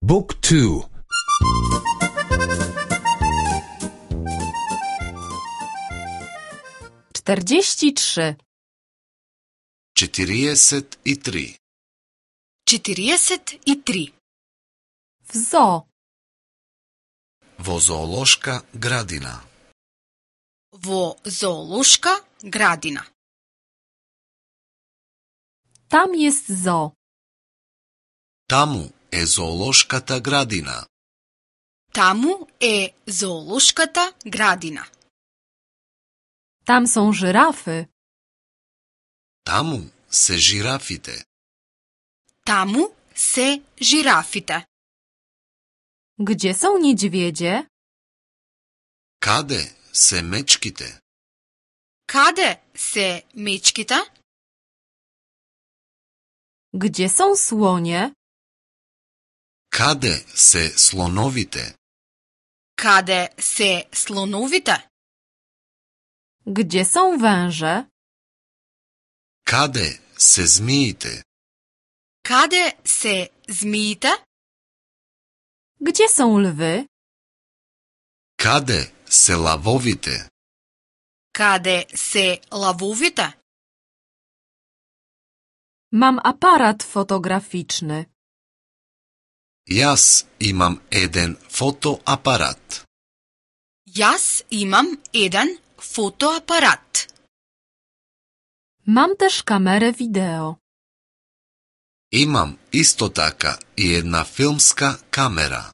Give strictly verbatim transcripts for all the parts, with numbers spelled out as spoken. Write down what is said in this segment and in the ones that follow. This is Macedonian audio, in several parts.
Book two. czterdzieści trzy. четириесет и три. четириесет и три. W zoo. Во зоолошка градина. Во зоолошка градина. Tam jest zoo. Таму е зоолошката градина. Таму е зоолошката градина. Tam są żyrafy. Таму се жирафите. Таму се жирафите. Gdzie są niedźwiedzie? Каде се мечките? Каде се мечките? Gdzie są słonie? Каде се слоновите? Каде се слоновите? Gdzie są węże? Каде се змиите? Каде се змиите? Gdzie są lwy? Каде се лавовите? Каде се лавовите? Mam aparat fotograficzny. Јас имам еден фотоапарат. Јас имам еден фотоапарат. Mam też kamerę wideo. Имам исто така и една филмска камера.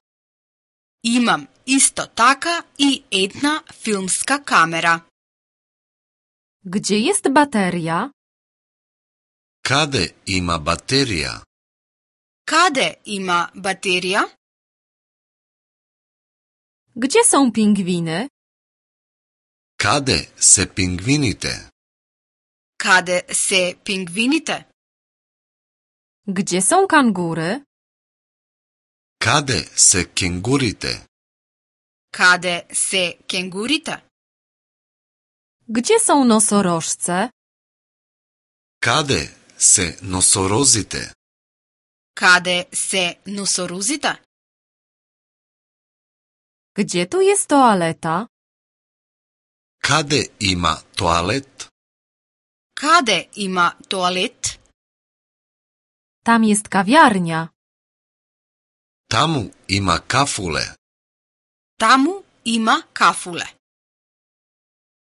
Имам исто така и една филмска камера. Gdzie jest bateria? Каде има батерија? Каде има батерија? Gdzie są pingwiny? Каде се пингвините? Каде се пингвините? Gdzie są kangury? Каде се кенгурите? Каде се кенгурите? Gdzie są nosorożce? Каде се носорозите? Каде се носорозите? Gdzie tu jest toaleta? Каде има тоалет? Каде има тоалет? Tam jest kawiarnia. Таму има кафуле. Таму има кафуле.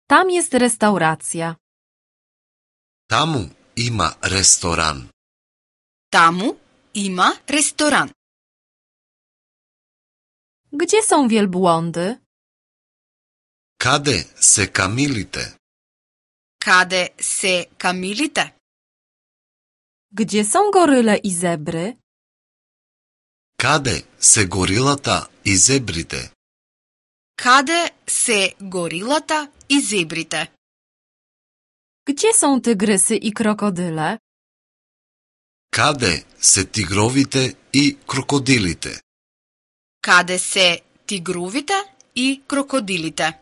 Tam jest restauracja. Таму има ресторан. Таму има ресторан. Gdzie są wielbłądy? Каде се камилите? Каде се камилите? Gdzie są goryle i zebry? Каде се горилата и зебрите? Каде се горилата и зебрите? Gdzie są tygrysy i krokodyle? Каде се тигровите и крокодилите? Каде се тигровите и крокодилите?